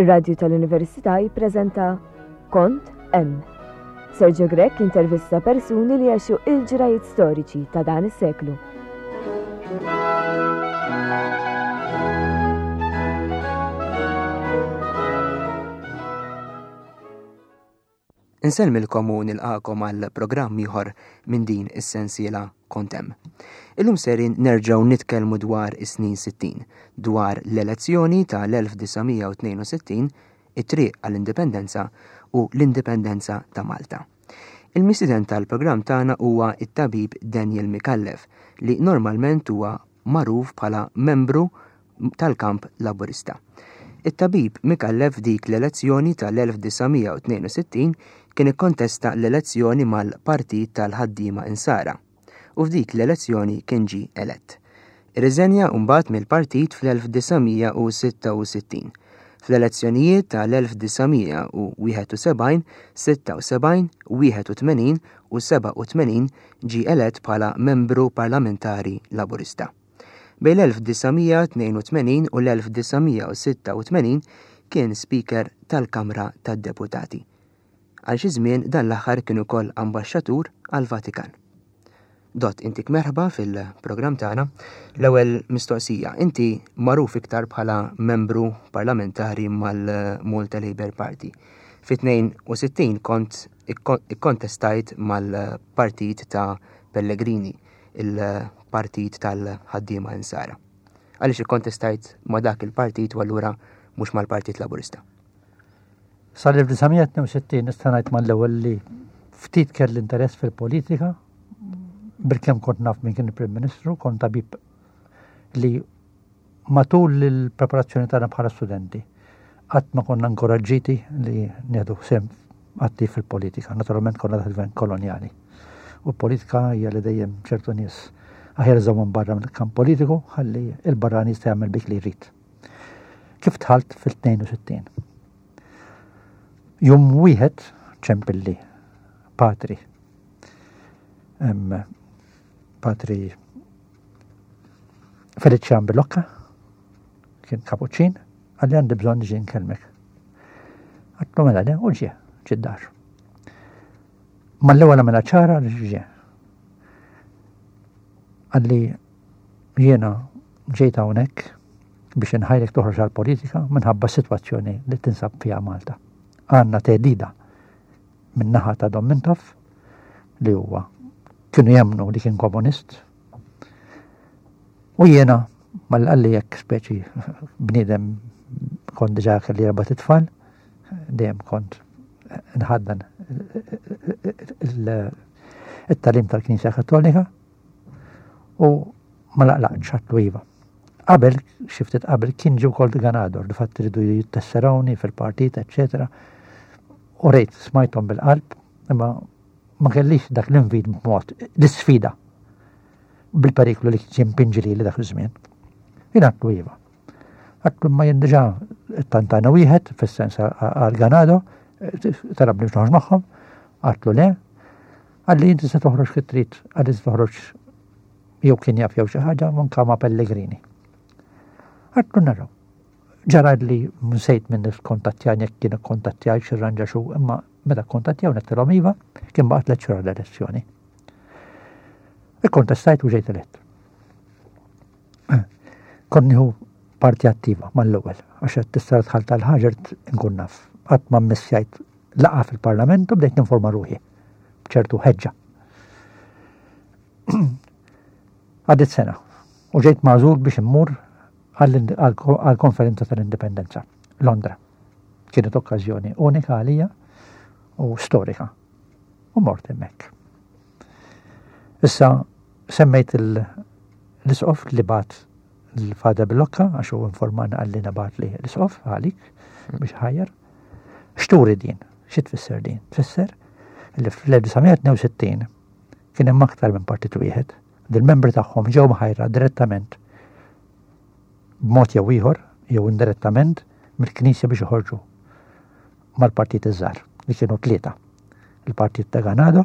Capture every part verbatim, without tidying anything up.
Ir-Radju tal-Università jippreżenta Kont Hemm. Sergio Grech intervista persuni li għexu il-ġrajiet storiċi ta' dan is-seklu. Insellmilkom u nilqakom għal programm ieħor minn din is-sensiela Kont Hemm. Illum serin nerġgħu nitkellmu dwar is-snin sittin, dwar l-elezzjoni tal-elf disa' mija u tnejn u sittin, it-triq għall-indipendenza u l-indipendenza ta' Malta. Il-mistieden tal-programm tagħna huwa it-tabib Daniel Micallef, li normalment huwa magħruf bħala membru tal-kamp Laburista. It-tabib Micallef dik l-elezzjoni tal-elf disa' mija u tnejn u sittin kien ikkontesta l-elezzjoni mal-Partit tal-Ħaddiema Insara u f'dik l-elezzjoni kien ġie elett. Irriżenja mbagħad mill-partit fl-elf disa' mija u sitta u sittin. Fl-elezzjonijiet tal-elf disa' mija u wieħed u sebgħin, sitta u sebgħin, wieħed u tmenin u seba' u tmenin ġie elett bħala membru parlamentari Laburista. Bejn l-elf disa' mija tnejn u tmenin u l-elf disa' mija u sitta u tmenin kien Speaker tal-Kamra tad-Deputati. Għal xi żmien dan l-aħħar kien ukoll ambaxxatur għall-Vatikan. Dott, intik merħba fil-programm tagħna. L-ewwel mistoqsija, inti magħruf iktar bħala membru parlamentari mal-Malta Labour Party. Fi tnejn u sittin kont ikko-, ikkontestajt mal-partit ta' Pellegrini, il-partit tal-ħaddiema Insara. Għaliex ikkontestajt ma' dak il-partit u allura mhux mal-Partit Laburista? Sal-elf disa' mija tnejn u sittin nista' ngħid mal-ewwel li ftit kelli interess fil-politika, bilkemm kont naf min kien il-Prim Ministru, kont tabib li matul il-preparazzjoni tagħna bħala studenti qatt ma konna inkoraġġiti li nieħdu sehem attiv fil-politika. Naturalment konna taħt gvern kolonjali. U l-politika hija li dejjem ċertu nies aħjar iżommhom barra mill-kamp politiku ħalli il-barrani jista' jagħmel bik li jrid. Kif dħalt fil-tnejn u sittin? Jum wieħed ċempilli patri. Em, patri Felician Bilocca, kien kapuċċin, għalli għandi bżonn niġi nkellmek. Għatlu mela le, u ġie, ġie d-dar. Mal-ewwel għamilha ċara li ġie. Għalli jiena ġejt hawnhekk biex inħajrek toħroġ għall-politika minħabba s-sitwazzjoni li tinsab fiha Malta. Għandna theddida min-naħa ta' Dom Mintoff li huwa kienu jemmnu li kien komunist. U jiena mal-qalli jekk speċi bniedem kont diġà kelli erba' titfal, dejjem kont nħaddan il-tagħlim tal-Knisja Kattolika u ma laqlaqtx għatlu iva. Qabel, xi ftit qabel, kien ġie wkoll Ganador, di fatt iridu jittesserawni fil-partit, eċċetera. U rejt smajthom bil-qalb, imma ma kellix dak l-invit b'mod, l-isfida bil-periklu li kien pinġi li dak iż-żmien. Jien għatlu iva. Għatlu ma jien diġà tantana wieħed, fis-sens għal Ganado, talabni biex noħroġ magħhom, għatlu le, għalli inti se toħroġ kif trid, għalli se toħroġ jew kien jaf jew xi ħaġa manka ma' Pellegrini. Għatlu naraw. Ġara li nsejt minn kontattjani jekk kien ikkontattjaj xi rranġa xu, imma meta kontattjaw nettilhom iva, kien baqa' tliet xhur l-elezzjoni. Ikkontestajt u ġejt elett. Kont nieħu parti attiva mal-ewwel, għax qed tista' tħall tal-ħaġa nkun naf. Qatt ma mmissjajt laqa fil-Parlament u bdejt ninforma ruħi b'ċertu ħeġġa. Għaddit sena u ġejt magħżul biex immur għall-konferenza tal-Indipendenza, Londra. Kienet okkażjoni unika għalija u storika. U mort hemmhekk. Issa semmejt il-, l-isqof li bat l-Father Bilocca, għax hu informana għalli nabat li l-isqof għalik biex ħajjar. X'turi din? Xi tfisser din? Tfisser li fl-elf disa' mija tnejn u sittin kien hemm aktar minn partit wieħed. Dil-membri tagħhom ġew mħajra direttament b'mod jew ieħor jew indirettament mill-Knisja biex joħorġu mal-partit iż-żgħar li kienu tlieta. Il-partit ta' Ganado,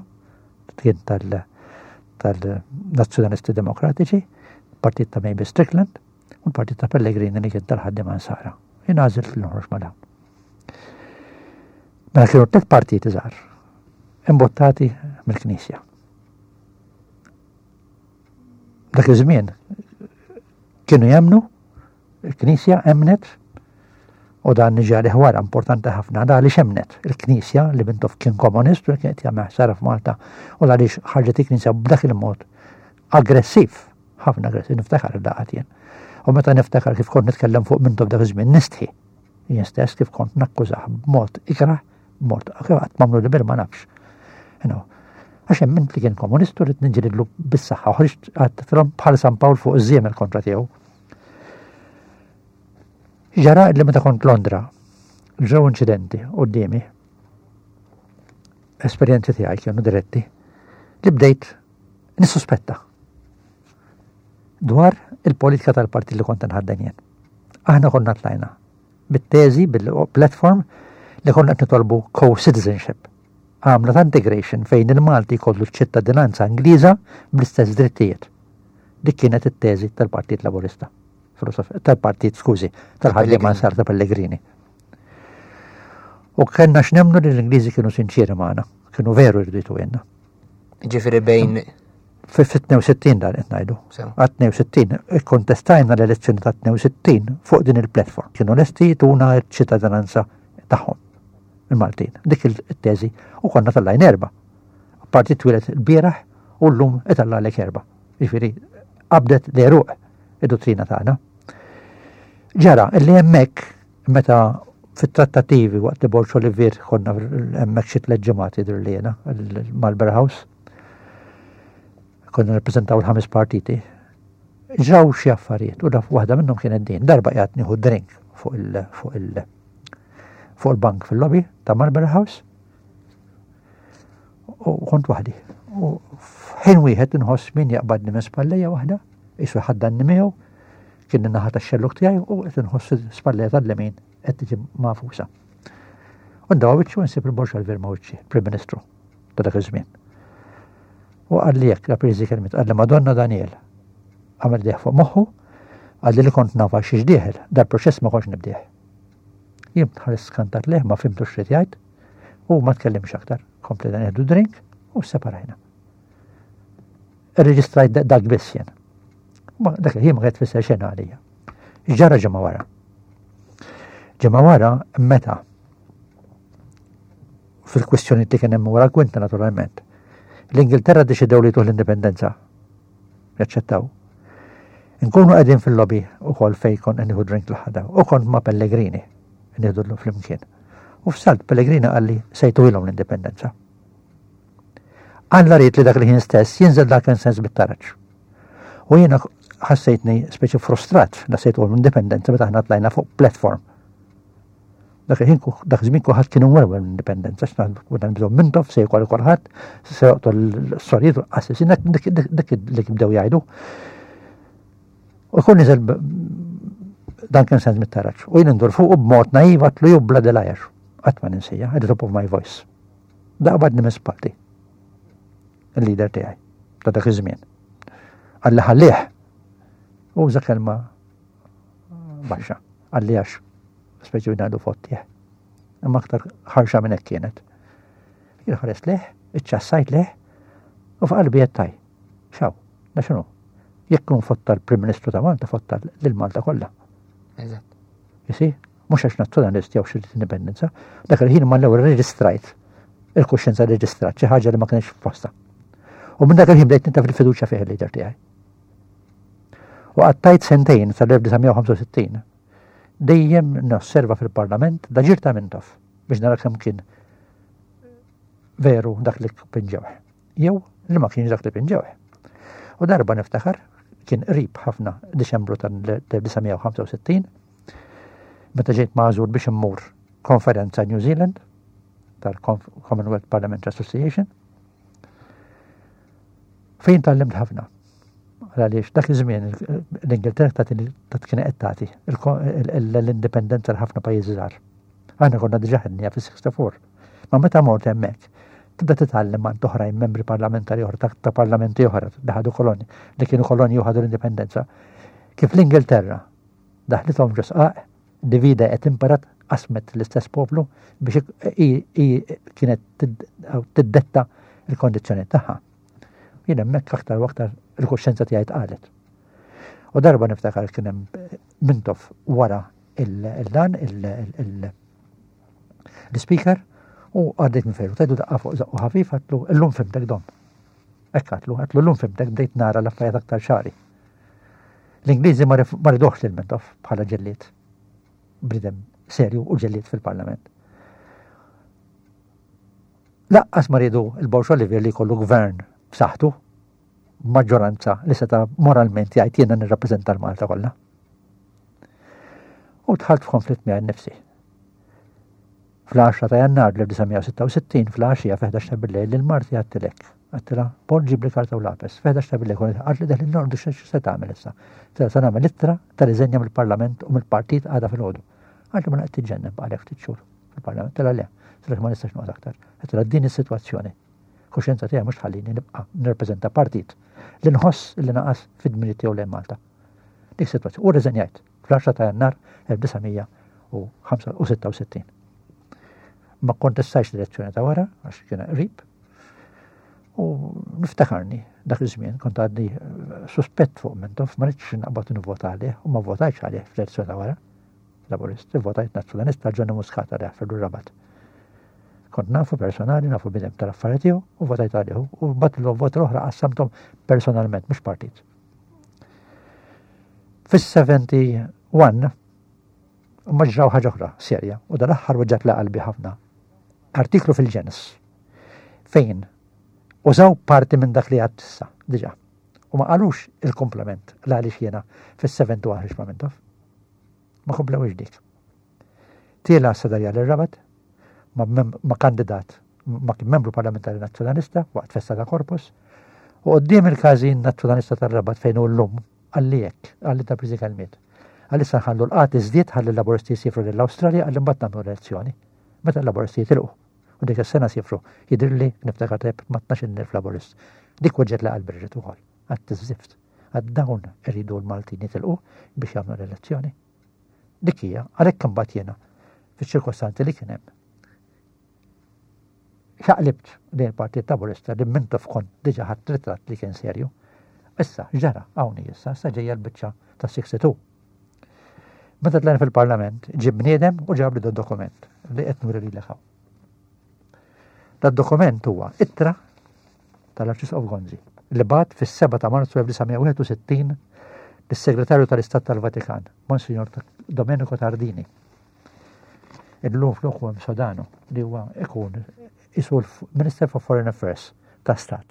kien tal-, tal-Nazzjonalisti Demokratiċi, il-partit ta' Mavis Strickland u l-partit ta' Pellegrini li kien tal-ħaddiema Nsara. Jien għażilt li noħroġ ma' dawn. Mela kienu tliet partiti żgħar imbottati mill-Knisja. Dak iż-żmien kienu jemmnu, il-Knisja emnet, u dan niġi għalih wara importanti ħafna, da għaliex emnet il-Knisja li Mintoff kien komunist u kien qed jagħmel ħsara f'Malta, u għaliex ħarġet il-Knisja b'dak il-mod aggressiv, ħafna aggressiv, niftakar id-daqat jien. U meta niftakar kif kont nitkellem fuq Mintoff dak iż-żmien nistħi. Jien stess kif kont nakkużah b'mod ikrah, b'mod qatt m'għamlu li bir ma nafx. Għax hemm li kien komunist u rrid niġġielidlu bis-saħħa, u ħriġt għadtilhom bħal San Pawl fuq iż-żiemel kontra tiegħu. Ġara li meta kont Londra, ġew inċidenti quddiemi, esperjenzi tiegħi kienu diretti, li bdejt nissuspetta dwar il-politika tal-partit li kont nħadden jien. Aħna konna tlajna bit-teżi, bil-platform li konna qed nitolbu co-citizenship. Għamla ta' integration fejn il-Malti jkollu ċittadinanza Ingliża bl-istess drittijiet. Dik kienet it-teżi tal-Partit Laburista. Tal-partit, skużi, tal-ħaddiema Nsara ta' Pellegrini. U kellna x'nemmnu li l-Ingliżi kienu sinċieri magħna, kienu veru jridu jtuhilna. Ġifieri bejn Fi tnejn u sittin dan qed ngħidu. Għat tnejn u sittin ikkontestajna l-elezzjoni ta' tnejn u sittin fuq din il-platform. Kienu lesti jtuna ċ-ċittadinanza tagħhom il-Maltin. Dik il-teżi u konna tellajna erba'. Partit twieled il-bieraħ u llum itellagħlek erba'. Ġifieri qabdet l-għeruq id-dottrina tagħna. Ġara illi hemmhekk meta fit-trattativi waqt li Borg Olivier konna hemmhekk xi tliet ġimgħat jidher li jiena Marlborough House, konna nirrappreżentaw il-ħames partiti. Ġraw xi affarijiet u daf waħda minnhom kienet din. Darba qiegħed nieħu drink fuq il fuq il fuq il-bank fil-lobby ta' Marlborough House u kont waħdi. U f'ħin wieħed inħoss min jaqbadni minn spallejja waħda, qisu ħaddanni miegħu, kien in-naħa tax-xelluk tiegħi u qed inħoss spallejja tal-lemin qed tiġi magħfusa. U ndawwar wiċċi u nsib il-Borg Olivier ma' wiċċi, Prim Ministru ta' dak iż-żmien. U qalli hekk, la priżi kelmiet, qalli: "Madonna Daniel." Għamel idejh fuq moħħu, qalli li kont naf xiex dieħel, dal-proċess ma kontx nibdih. Jien ħares skantat lejh, ma fhimtux x'ried jgħid, u ma tkellimx aktar. Komplejna nieħdu drink u separajna. Irreġistrajt dak biss jien. Ma dak il-ħin ma kienet tfisser xejn għalija. Ġara ġimgħa wara. Ġimgħa wara meta fil-kwistjoni li kien hemm wara l-kwinta naturalment. L-Ingilterra deċidew li tuh l-indipendenza. Jaċċettaw. Nkunu qegħdin fil-lobby ukoll fej kont nieħu drink l-ħada u kont ma' Pellegrini nieħdu l flimkien. U f'salt Pellegrini qalli se jtuhilhom l-indipendenza. Alla ried li dak li ħin stess jinżel dak sens bit-taraġ. U jiena ħassejtni speċi frustrat la se jtuhom l-indipendenza meta aħna tlajna fuq platform. Dak il-ħin dak iż-żmien kulħadd kienu mwerwer l-indipendenza, x'naħdu bżonn Mintoff se jkoll kulħadd, se joqtol l-sorijiet u l-qassisin, dak li bdew jgħidu. U jkun niżel Duncan Sandys mit-taraġ. U jien ndur fuq b'mod naiv għedtlu, "You bloody liar." Qatt ma ninsija, at the top of my voice. Daqbadni minn spalti. Il-leader tiegħi ta' dak iż-żmien. Qalli ħallih. U uża kelma baxxa. Qalli għax speċi ngħidu fottih. Imma aktar ħarxa minn hekk kienet. Jien ħares lejh, iċċassajt lejh, u f'qalbi għedt, "Xaw, da x'inhu? Jekk kun fotta l-Prim Ministru ta' Malta, fotta lil Malta kollha." Eżatt. Jisi, mhux għax nazzjonalist jew xi indipendenza, dak il-ħin ma l-ewwel reġistrajt il-kuxjenza, reġistrat xi ħaġa li ma kienx f'posta. U minn dak il-ħin bdejt nitlef il-fiduċja fih il-leader tiegħi. U qattajt sentejn sal-elf disa' mija u ħamsa u sittin dejjem nosserva fil-Parlament l-aġir ta' Mintoff biex nara kemm kien veru dak li pinġewh. Jew li ma kienx dak li pinġewh. U darba niftakar kien qrib ħafna Diċembru tal-elf disa' mija u ħamsa u sittin meta ġejt magħżul biex immur konferenza New Zealand tal-Commonwealth Parliamentary Association fejn tgħallimt ħafna. Għaliex dak iż-żmien l-Ingilterra ta' kien qed tagħti l-indipendenza l ħafna pajjiżi żgħar. Aħna konna diġà ħadnieha fis-sitta u sittin. Ma meta mort hemmhekk, tibda titgħallem ma' oħrajn membri parlamentari oħra ta' parlamenti oħra li ħadu koloni, li kienu koloni u ħadu l-indipendenza. Kif l-Ingilterra daħlithom ġo sqaq, divide et impera Qasmet l-istess poplu biex i kienet tiddetta il-kondizzjoni tagħha. Jien hemmhekk aktar u aktar il-kuxjenza tiegħi tqalet. U darba niftakar kien hemm Mintoff wara il-dan l-speaker u għaddejt minn fejn u tajtu daqqa fuq żaqqu ħafif, għedtlu, "Illum fhimtek, Dom." Hekk għedtlu, għedtlu, "Illum fhimtek, bdejt nara l-affarijiet aktar ċari." L-Ingliżi ma riduhx lil Mintoff bħala ġellied. Bniedem serju u ġellied fil-parlament. Lanqas ma riedu il-Borg Olivier li jkollu gvern b'saħħtu, maġġoranza li seta moralment jgħid, "Jiena nirrappreżenta l-Malta kollha." U dħalt f'konflitt miegħi nnifsi. Fl-għaxra ta' Jannar elf disa' mija u sitta u sittin, fl-għaxija fl-ħdax ta' billejl, lil marti għedtilek. Għedtilha, "Paul, ġib li karta u lapes." Fl-ħdax ta' billejl, qaltli, "Deħlin norqdu, se tagħmel issa?" Se nagħmel ittra ta' riżenja mill-Parlament u mill-partit għada filgħodu. Qaltli, "Ma naqt tiġġennen, baqgħalek ftit xhur fil-Parlament." Għedtilha, "Le." Għedtilha, "Ma nistax noqgħod aktar." Għedtilha, "Din is-sitwazzjoni. Kuxjenza tiegħi mhux tħallini nibqa' nirrappreżenta partit li nħoss li naqas fid-dmirijiet tiegħu lejn Malta." Dik sitwazzjoni. U rriżenjajt fl-għaxra ta' Jannar elf disa' mija u sitta u sittin. Ma kontestajx l-elezzjoni ta' wara, għax kien qrib. U niftakarni dak iż-żmien kont għadni suspett fuq Mintoff, ma ridtx naqbad nivvota għalih u ma votajtx għalih fl-elezzjoni ta' wara. Laburist, votajt Nazzjonalista, Johnny Muscat għalih fil-Rabat. Kont nafu personali, nafu bniedem tal-affarijiet tiegħu u votajt għalih. U bat l-vot l-oħra qassamthom personalment, mhux partit. Fis-sebgħa u sebgħin ma ġraw ħaġa oħra serja u dal-aħħar weġġgħatli qalbi ħafna. Artiklu fil-Ġens fejn użaw parti minn dak li għedt issa, diġà. U ma qalux il-komplement l għaliex jiena fis-sebgħa u sebgħin ħriġt ma' Mintoff. Ma komplewx dik. Tiela s-sadarja l-Rabat ma, ma kandidat, ma kien membru parlamentari nazzjonalista waqt festa ta' Corpus u quddiem il-każin nazzjonalista tar-Rabat fejn hu llum qalli hekk, qalli ta' priżi kelmiet. Qalli, "Sa nħallu l-qgħad iżdied, ħalli l-Laburisti jsiefru lill-Awstralja," qalli, "mbagħad nagħmlu elezzjoni." Meta l-Laburisti jitilqu. U dik is-sena siefru, jidhirli niftakar tajjeb, ma' tnax-il elf Laburist. Dik weġġgħetli qalbi rġiet ukoll. Għedt, "Żift, għad dawn iridu l-Maltin jitilqu biex jagħmlu l-elezzjoni." Dik hija, għalhekk imbagħad jiena fiċ-ċirkostanzi li kien hemm. Xaqlibt lejn il-Partit Laburista li Mintoff kont diġà ħadt ritratt li kien serju. Issa, ġara, hawnhi issa, issa ġejja l-biċċa ta' sitta u sittin. Meta tlajna fil-Parlament, ġie bniedem u ġab li dokument li qed nuri lilek hawn. Da dokument huwa ittra tal-Arċisqof Gonzi li bagħat fis-sebgħa ta' Marzu elf disa' mija u wieħed u sittin lis-Segretarju tal-Istat tal-Vatikan, Monsignor Domenico Tardini. Illum floku hemm Sodano li huwa ikun isu l-Minister for Foreign Affairs ta' Stat.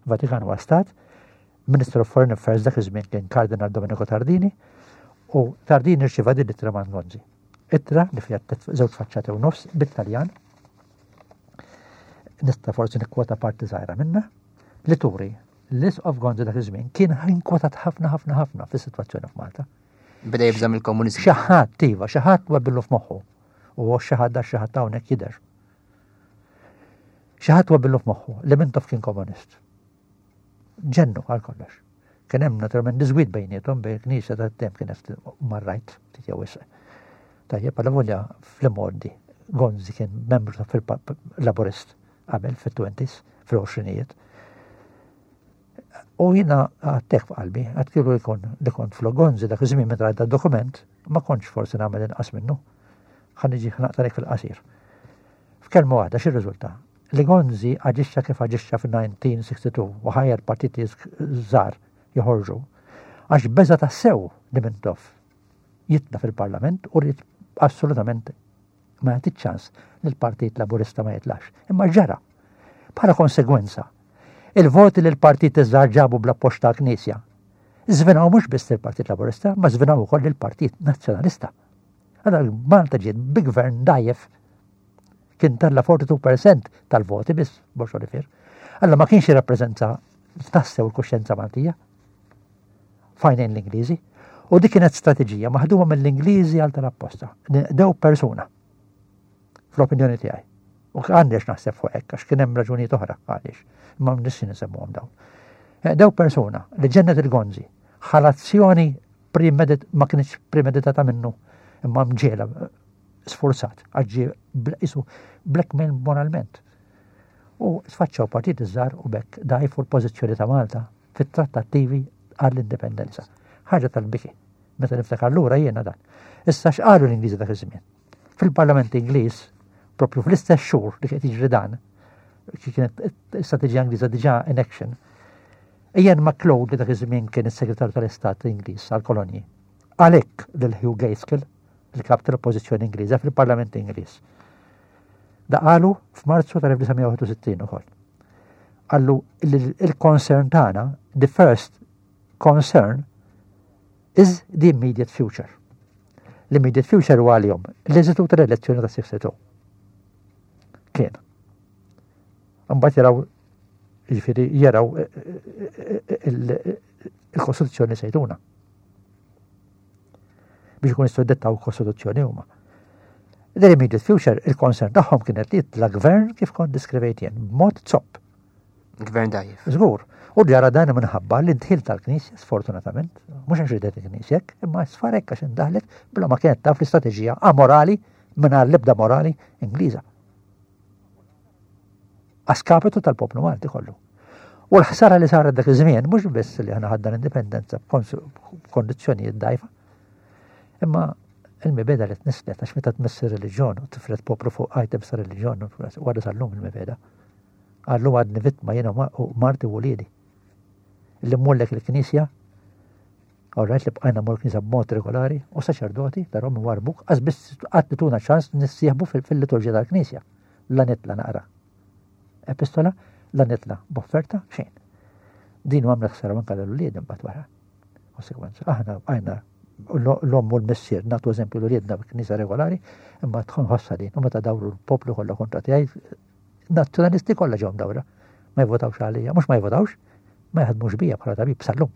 Vatikan huwa Stat, Minister of Foreign Affairs dak iż-żmien kien Cardinal Domenico Tardini u Tardini rċieva din l-ittra minn Gonzi. Ittra li fiha żewġ faċċati u nofs bit-Taljan. Nista' forsi nikkwota parti żgħira minna li turi l-Isqof Gonzi dak iż-żmien kien inkwetat ħafna ħafna ħafna fis-sitwazzjoni f'Malta. Beda jibża' mill-komuniżmu. Xi ħadd iva, xi ħadd webbillu f'moħħu. U xi ħadd da xi ħadd hawnhekk jidher. Xi ħadd webbillu f'moħħu li Mintoff kien komunist. Ġennu għal kollox. Kien hemm naturalment diżgwid bejniethom, bejn knisja ta' tem kienet marrajt ftit jew wisq. Tajjeb, għal volja fl-imgħoddi Gonzi kien membru ta' fil-Laburist qabel fit-twenties, fil-għoxrinijiet. U jiena għedtek f'qalbi, għedt kieku jkun li kont flok Gonzi dak iż-żmien meta rajt dokument, ma kontx forsi nagħmel inqas minnu. Ħa niġi naqtalek fil-qasir. F'kelma waħda x'irriżulta? Li Gonzi aġixxa kif aġixxa fil-elf disa' mija u sitta u sittin u ħajjar partiti żgħar joħorġu għax beża tassew li Mintoff jitla fil-Parlament u rrid assolutament ma jagħti ċans li l-Partit Laburista ma jitlax. Imma ġara. Bħala konsegwenza, il-voti li l-partit iż-żgħar ġabu bl-appoġġ tal-Knisja żvinaw mhux biss il-Partit Laburista, ma żvinaw ukoll il-Partit Nazzjonalista. Allora Malta ġiet bi gvern dgħajjef, kien tella erbgħa u erbgħin fil-mija tal-voti biss Borg Olivier. Alla ma kienx jirrappreżenta tassew il-kuxjenza Maltija f'għajnejn l-Ingliżi. U dik kienet strateġija maħduma mill-Ingliżi għal tal-apposta. Dew persuna fl-opinjoni tiegħi. U għandix naħseb fuq hekk għax kien hemm raġunijiet oħra għaliex. Ma nissi nsemmuhom dawn. Eh, Dew persuna li ġennet il-Gonzi, ħalazzjoni premedit ma kienx premeditata minnu imma mġiegħla sforzat, għax ġie isu blackmail moralment. U sfaċċaw partit iż-żgħar u b'hekk dgħajfu l-pożizzjoni ta' Malta fit-trattattivi għall-indipendenza. Ħaġa tal-biki. Meta niftakar lura jiena dan. Issa x'qalu l-Ingliżi dak iż-żmien? Fil-Parlament Ingliż, propju fl-istess xhur li kienet jiġri dan, kienet istrateġija Ingliża diġà in action. Ian MacLeod, li dak iż-żmien kien is-Segretarju tal-Istat Ingliż għall-kolonji, għalhekk lil Hugh Gaitskell, il-kap tal-Oppożizzjoni Ingliża fil-Parlament Ingliż. Da qalu f'Marzu tal-elf disa' mija u wieħed u sittin ukoll. Qallu il-concern tagħna, the first concern is the immediate future. L-immediate future huwa għalihom l-eżitu tal-elezzjoni ta' sessja. Kien. Mbagħad jaraw, jiġifieri jaraw eh, eh, eh, il-Kostituzzjoni sejtuna. Biex ikun jistgħu jdettaw il-Kostituzzjoni huma. The immediate future, il-concern tagħhom kienet li jitla gvern kif kont deskrivejt jien, b'mod zopp. Gvern dgħajjef. Żgur. U ġara dan minħabba l-indħil tal-Knisja, sfortunatament, mhux għax ridet il-Knisja, imma sfarek għax indaħlet bla ma kienet taf l-istrateġija amorali mingħajr l-ebda morali Ingliża. A skapitu tal-poplu Malti kollu. U l-ħsara li saret dak iż-żmien mhux biss li aħna ħadna l-indipendenza b'kondizzjonijiet dgħajfa, imma il-mibegħda li tnisslet, għax meta tmiss ir-reliġjon u tifred poplu fuq items ta' reliġjon, għadha sal-lum il-mibegħda. Għallum għadni vittma jiena u marti u wliedi. Li mmullek il-knisja, alright, li bqajna mmur knisja b'mod regolari, u saċerdoti tarom warbuk, għax biss qatt tuna ċans nissieħbu fil-liturġija tal-knisja. La nitla naqra epistola, la nitla b'offerta, xejn. Din għamlet ħsara anka l-ulied imbagħad wara. Konsekwenza, aħna bqajna l-omm u l-missier nagħtu eżempju l-uliedna b'knisa regolari, imma tkun ħossa din, u meta dawru l-poplu kollha kontra tiegħi, nazzjonalisti kollha ġew dawra. Ma jvotawx għalija, mhux ma jvotawx, ma jaħdmux bija bħala tabib sal-lum.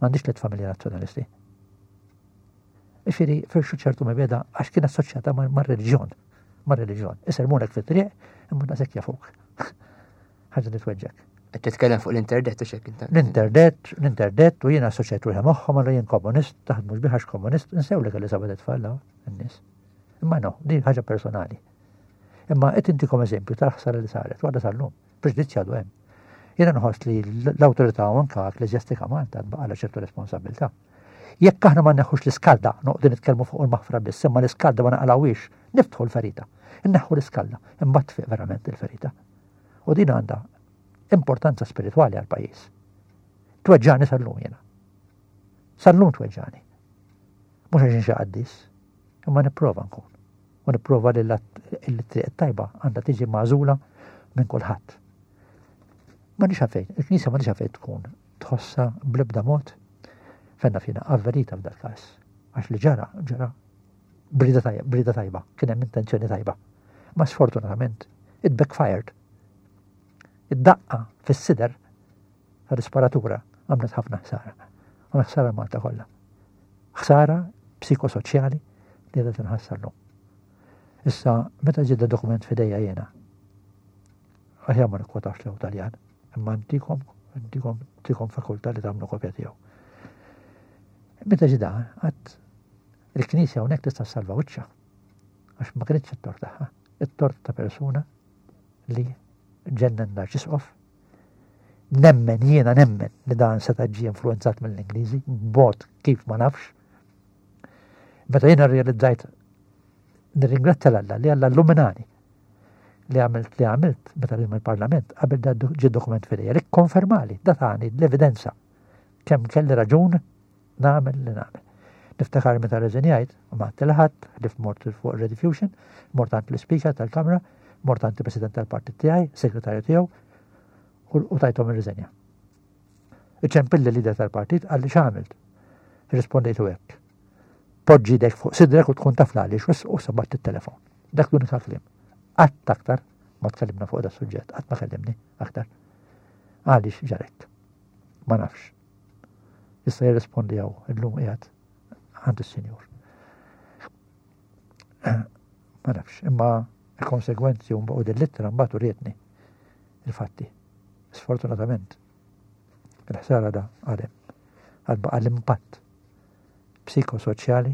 M'għandix tliet familja nazzjonalisti. Ifieri firxu ċertu mibegħda għax kien assoċjata mar-reliġjon. Mar-reliġjon. Isermunek fit-triq, imma nasek jafuk. Ħaġa li tweġġek. Qed titkellem fuq l-internet u xek inta. L-internet, l-internet u jiena assoċjat ruħi magħhom, għallu jien komunist, taħdmux biħax komunist, nsew li kelli seba' tfal n-nies. Imma no, din ħaġa personali. Imma qed intikom eżempju tal-ħsara li saret, għadha sal-lum, preġudizzju għadu hemm. Jiena nħoss li l-awtorità anka ekkleżjastika Malta baqgħalha ċertu responsabilità. Jekk aħna ma neħħux l-iskalda, noqogħdu nitkellmu fuq il-maħfra biss, imma l-iskalda ma naqalawiex, niftħu l-ferita. Inneħħu l-iskalda, imbagħad tfiq verament il-ferita. U din għandha importanza spiritwali għal pajjiż. Tweġġani sal-lum jiena. Sal-lum tweġġani. Mhux għax xi qaddis, imma nipprova nkun. U nipprova li l-triq tajba għandha tiġi magħżula minn kulħadd. Ma nix għalfejn, il-Knisja ma nix għalfejn tkun tħossa bl-ebda mod fenna fina avverita f'dal każ. Għax li ġara, ġara b'rieda tajba, b'rieda tajba, kien hemm intenzjoni tajba. Ma sfortunatament, it backfired. Id-daqqa fis-sider tal-isparatura għamlet ħafna ħsara. Għamlet ħsara Malta kollha. Ħsara psikosoċjali li għadha tinħass sal-lum. Issa, meta ġie dokument f'idejja jiena, aħjar ma nikkwotax lew Taljan, imma ntikom, ntikom, ntikom fakultà li tagħmlu kopja tiegħu. Meta ġie da, għad il-Knisja hawnhekk tista' salva wiċċha. Għax ma kienx it-tort tagħha, it-tort ta' persuna li ġennen l-arċisqof. Nemmen, jiena nemmen li dan seta' ġie influenzat mill-Ingliżi, b'mod kif ma nafx. Meta jiena realizzajt, nirringrazzja l-Alla li Alla illuminani li għamilt li għamilt meta li il-Parlament qabel da ġie dokument f'idejja li konfermali, da tani l-evidenza kemm kelli raġun nagħmel li nagħmel. Niftakar meta reżenjajt, u ma ħadd, li mort fuq Rediffusion, mort għand l-Speaker tal-Kamra, mort għand il-President tal-Partit tiegħi, segretarju tiegħu, u tajthom ir-riżenja. Iċempilli l-leader tal-partit, qalli x'għamilt. Rispondejtu hekk. Poġġi idek fuq sidrek u tkun taf għaliex, u sabbat it-telefon. Dak l-unika kliem. Qatt aktar ma tkellimna fuq da suġġett, qatt ma kellimni aktar. Għaliex ġarek? Ma nafx. Issa jirrispondi għaw, illum qiegħed għand is-Sinjur. Ma nafx, imma il-konsegwenzi un u dil-littra mbagħad urietni il-fatti. Sfortunatament, il-ħsara da għadem. Għad baqa l-impatt psikosoċjali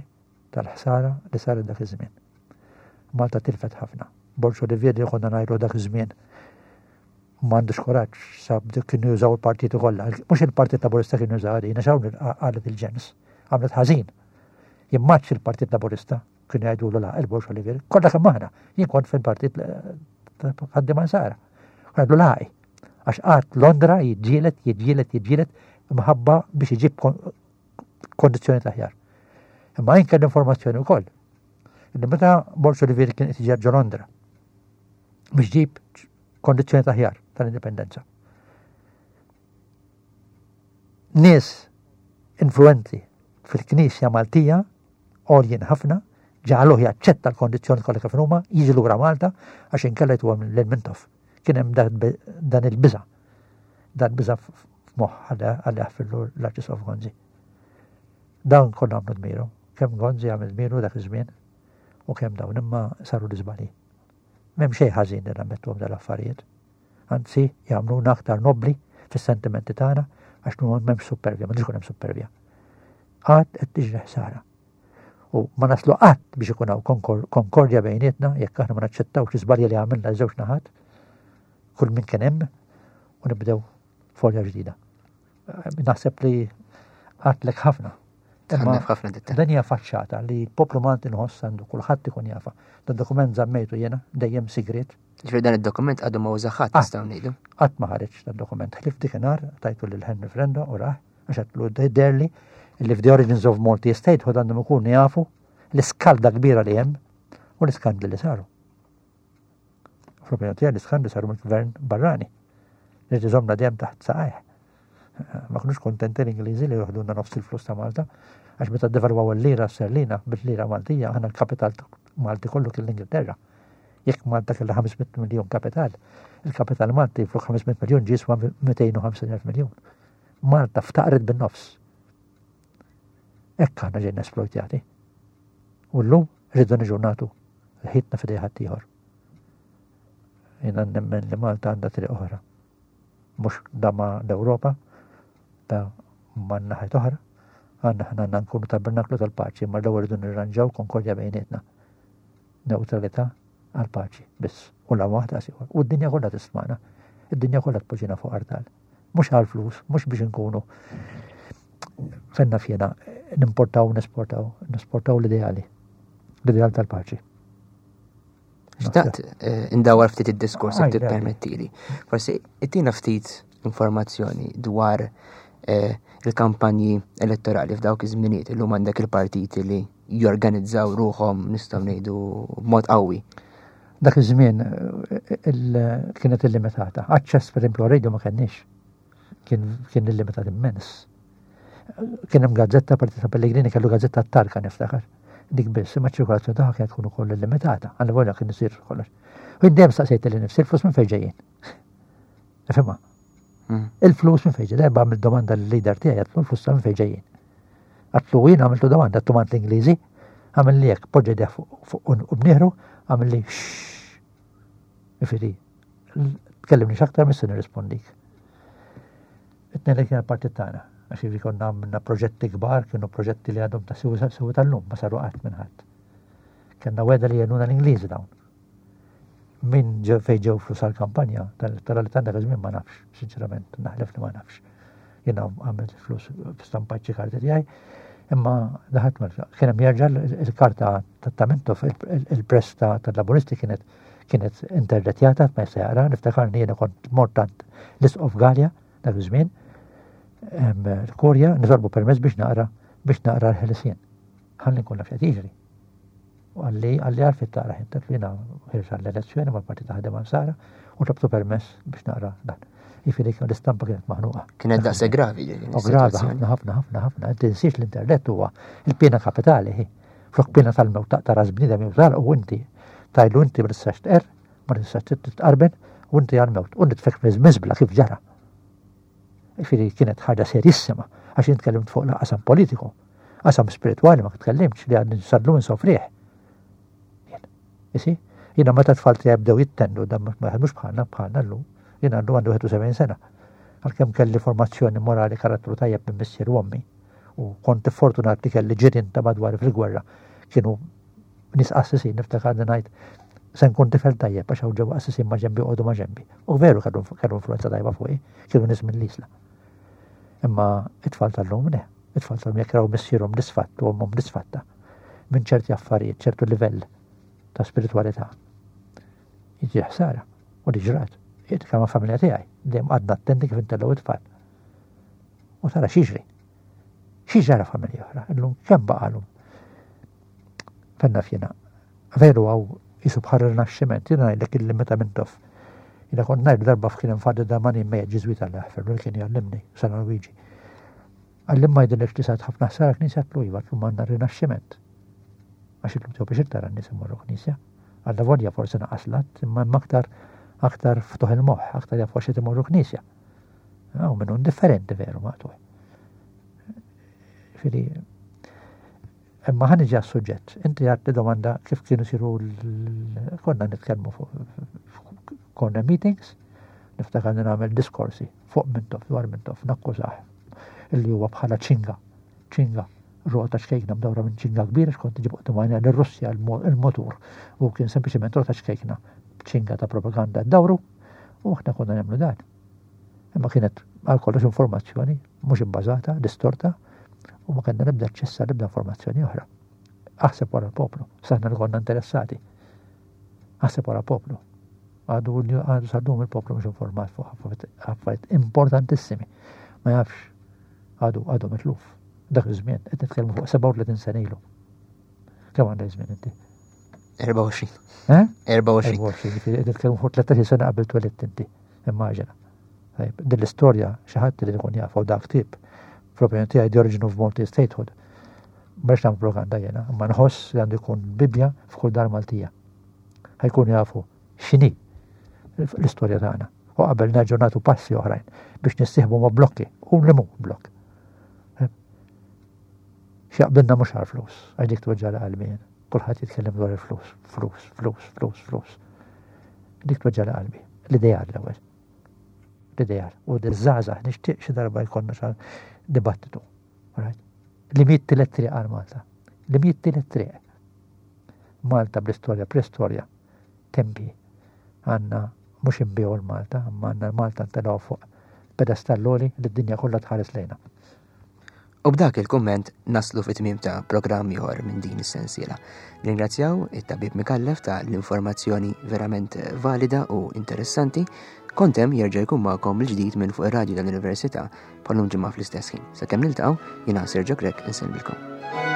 tal-ħsara li saret dak iż-żmien. Malta tilfet ħafna. Borg Olivier li konna ngħidu dak iż-żmien m'għandux kuraġġ, sab kienu jużaw il-partiti kollha. Mhux il-Partit Laburista kienu jużaw għadina, xawn qalet il-ġens, għamlet ħażin. Jimmaċ il-Partit Laburista kienu jgħidu la il-Borg Olivier, kollha kemm aħna, jien kont fil-Partit Ħaddiema Nsara. Għadu laqi. Għax qatt Londra jiġġielet, jiġġielet, jiġġielet mħabba biex iġib kondizzjoni aħjar. Imma jien kelli informazzjoni wkoll. Illi meta Borg Olivier kien qed ġo Londra biex ġib kondizzjoni aħjar tal-indipendenza. Nies influenti fil-Knisja Maltija, għoljin ħafna, ġaluh jaċċetta l-kondizzjoni kollha kif huma, jiġi lura Malta għax inkella jtuha lil Mintoff. Kien hemm dan il-biża'. Dan biża' f'moħħ għal jaħfirlu l-Arċisqof Gonzi. Dan kollha għamlu dmiru. Kemm Gonzi għamel dmiru dak iż-żmien u kemm dawn imma saru l-iżbalji. M'hemm xejn ħażin li nammettuhom dal-affarijiet. Anzi, jagħmluna aktar nobbli fis-sentimenti tagħna għax m'hemmx supervja, m'għandux ikun hemm supervja. Qatt qed tiġri ħsara. U ma naslu qatt biex ikun hawn konkordja bejnietna jekk aħna ma naċċettawx l-iżbalji li għamilna żewġ naħat, kull min kien hemm, u nibdew folja ġdida. Naħseb li għatlek ħafna. ħafna dettalji. Dan hija faċċata li l-poplu Malti nħoss għandu kulħadd ikun jafa. Dan dokument żammejtu jiena dejjem sigriet. Ġifieri dan id-dokument għadu ma użaħat nistgħu ngħidu. Qatt ma ħareġ dan dokument. Ħlief dikinhar tajtu lil Henry Frendo u raħ għax għatlu derli li f'The Origins of Maltese Statehood għandhom ikunu jafu l-iskalda kbira li hemm u l-iskandli li saru. Fl-opinjoni tiegħi l-iskandli saru mill-gvern barrani. Li tiżomna dejjem taħt saqajh. Ma kinux kontenti l-Ingliżi li joħdulna nofs il-flus ta' Malta, għax meta devalwaw il-lira sterlina bil-lira Maltija, aħna l-kapital Malti kollu kien l-Ingilterra. Jekk Malta kellha ħames mitt miljun kapital, il-kapital Malti fuq ħames mitt miljun ġie jiswa mitejn u ħamsin elf miljun. Malta ftaqret bin-nofs. Hekk aħna ġejna esploitjati. U llum rridu niġu nagħtu ħitna f'idej ħaddieħor. Jiena nemmen li Malta għandha triq oħra. Mhux da ma' l-Ewropa, da ma' naħat oħra, għandna ħna għandna nkunu tabernaklu tal-paċi, ma l-ewwel rridu nirranġaw konkordja bejnietna. Neutralità għal-paċi biss. U la waħda siħor. U d-dinja kollha tismana. Id-dinja kollha tpoġġina fuq artal. Mhux għal-flus, mhux biex nkunu fenna fjena nimportaw, nesportaw, nesportaw l-ideali. L-ideal tal-paċi. Xtaqt, eh, indawar ftit id-diskors jekk Għaj, għaj. tippermettili. Forsi ittina ftit informazzjoni dwar, eh, il-kampanji elettorali f'dawk iż-żminijiet. Illum għandek il-partiti li jorganizzaw ruħhom nistgħu ngħidu b'mod qawwi. Dak iż-żmien, eh, il-, kienet illimitata. Aċċess pereżempju radio ma kenniex. Kien, kien illimitat immens. Kien hemm gazzetta, Partit ta' Pellegrini kellu gazzetta t-tarka niftakar. Dik biss, imma ċirkolazzjoni tagħha kienet tkun ukoll illimitata, għal volja kien isir kollox. U jien dejjem staqsejt lil nifsi, il-flus minn fejn ġejjin? Nifhimha. Mm. Il-flus minn fejn ġejjin? Darba għamilt domanda lill-leader tiegħi, għatlu l-flus minn fejn ġejjin. Għatlu jien għamiltu domanda, għatlu mant l-Ingliżi, għamil li hekk, poġġa idejh fuq, fuq u bnieħru, għamil li xxx. Jiġifieri, tkellimni x'aktar mis-se nirrispondik. It-tnejn li kien il-partit tagħna, għax jiġifieri konna għamilna proġetti kbar, kienu proġetti li għadhom ta' sew sew tal-lum, ma saru qatt minn ħadd. Kellna weda li jenuna l-Ingliżi dawn. Min ġew fejn ġew flus għall-kampanja tal-elettorali ta' dak iż-żmien ma nafx, sinċerament, naħlef li ma nafx. Jiena għamilt flus stampat xi karti tiegħi, imma daħat ma kien hemm jerġa' il-karta ta' Mintoff, il-press tal-Laburisti kienet kienet interdetjata, ma jista' jaqra, niftakarni jiena kont mort għand l-Isqof Galea dak iż-żmien, l-Kurja nitolbu permess biex naqra biex naqra l-ħelsien. Ħalli nkun naf x'qed jiġri. U għalli, għalli għalfejn taqra ħin, li jiena ħirġa l-elezzjoni mal-Partit ta' Ħaddiema Nsara u tlabtu permess biex naqra dan. Jiġifieri l-istampa kienet maħnuqa. Kienet daqshekk gravi, ġifieri, U gravi, is-sitwazzjoni. ħafna, ħafna, ħafna, ħafna. Tinsiex l-internet huwa il-pena kapitali, hi. Flok pena tal-mewt taqta' ras bniedem jew tal u inti tajlu inti ma tistax tqerr, ma tistax titqarben u inti għal-mewt. U nitfek miżbla kif ġara. Jiġifieri kienet ħaġa serissima, għax jien tkellimt fuq qasam politiku, qasam spiritwali ma tkellimtx li għadni sadlu insofriħ. Isi, jiena meta tfal tiegħi bdew jittendu, dan ma jaħdmux bħalna, bħalna llum, jiena għandu għandu wieħed u sebgħin sena. Għalkemm kelli formazzjoni morali karattru tajjeb minn missier u ommi, u kont fortunat li kelli ġirien ta' madwar fil-gwerra, Kienu nies qassisin, niftakar li ngħid se nkun tifel tajjeb għax hawn ġew qassisin ma' ġenbi, joqogħdu ma' ġenbi. U veru kellu influenza tajba fuqi, kienu nies mill-Isla. Imma it-tfal tal-lum le, it-tfal tal-lum jekk raw missierhom disfatt u ommhom disfatta minn ċerti affarijiet, ċertu livell ta' spiritualità. Jiġi ħsara u li ġrat. Jitkellem ma' familja tiegħi, dejjem għadna attenti kif intellgħu it-tfal. U tara x'jiġri. X'ġara familja oħra, illum kemm baqalhom. Fenna fjena. Veru għaw jisu bħal rinaxximent, jiena ngħidlek illi meta Mintoff. Jiena kont ngħid darba f'kien infaddi da mani mejja Ġiżwita li jaħfer li kien jgħallimni San Luigi. Għallim ma jidilek li sat ħafna ħsara knisja tlu iva tlum għandna rinaxximent. Għax illum tiegħu biex tara n-nies imorru knisja. Għalla volja forsi naqas lat, imma hemm aktar aktar ftuħ il-moħħ, aktar jafu għax imorru knisja. Għaw minnu indifferenti veru maqtuħ. Fili, imma ħa niġi għas-suġġett. Inti għat li domanda kif kienu siru l- konna nitkellmu fuq corner meetings, niftakar li nagħmel diskorsi fuq Mintoff, dwar Mintoff, nakkużah illi huwa bħala ċinga, ċinga, rota ċkejkna mdawra minn ċinga kbira, xkont ġib quddiem għajnejja l-Russja il-motur, u kien sempliċement rota ċkejkna ċinga ta' propaganda dawru, u aħna konna nagħmlu dan. Imma kienet għal kollox informazzjoni mhux ibbażata, distorta, u ma kellna nibda ċessa nibda informazzjoni oħra. Aħseb wara l-poplu, saħna li konna interessati. Aħseb wara l-poplu. Għadu għadu sal-lum il-poplu mhux informat fuq affarijiet importantissimi. Ma jafx, għadu għadu mitluf. Dak iż-żmien, qed nitkellmu fuq sebgħa u tletin sena ilu. Kemm għandek żmien inti? erbgħa u għoxrin. Eh? erbgħa u għoxrin. erbgħa u għoxrin, jiġifieri qed nitkellmu fuq tlettax-il sena qabel twelidt inti. Immaġina. Tajjeb, din l-istorja xi ħadd li jkun jaf u dak ktieb fl-opinjoni tiegħi The Origin of Maltese Statehood. Mhux nagħmel propaganda jiena, imma nħoss li għandu jkun Bibbja f'kull dar Maltija. Ħa jkunu jafu x'inhi l-istorja tagħna. U qabel nerġgħu nagħtu passi oħrajn biex nissieħbu ma' blokki u li mhu blokk. X'jaqbilna mhux għal flus, għax dik tweġġa' qalbi jien. Kulħadd jitkellem dwar il-flus, flus, flus, flus, flus. Dik tweġġa' qalbi. L-ideal l-ewwel. L-ideal. U d-żgħażagħ nixtieq xi darba jkollna xi dibattitu. Right? Li miet tielet triq għal Malta. Li miet tielet triq. Malta bl-istorja, pre-istorja, tempi. Għandna mhux inbiegħu l-Malta, imma għandna l-Malta ntelgħu fuq pedestalloli li d-dinja kollha tħares lejna. U b'dak il-kumment naslu fit-tmiem ta' programm ieħor minn din is-sensiela. Ringrazzjaw it-tabib Micallef ta' l-informazzjoni verament valida u interessanti. Kont Hemm jerġa' jkun magħkom il-ġdid minn fuq ir-radju tal-Università bħalum ġimgħa fl-istess ħin. Sakemm niltaqgħu, jiena Sergio Grech insellmilkom.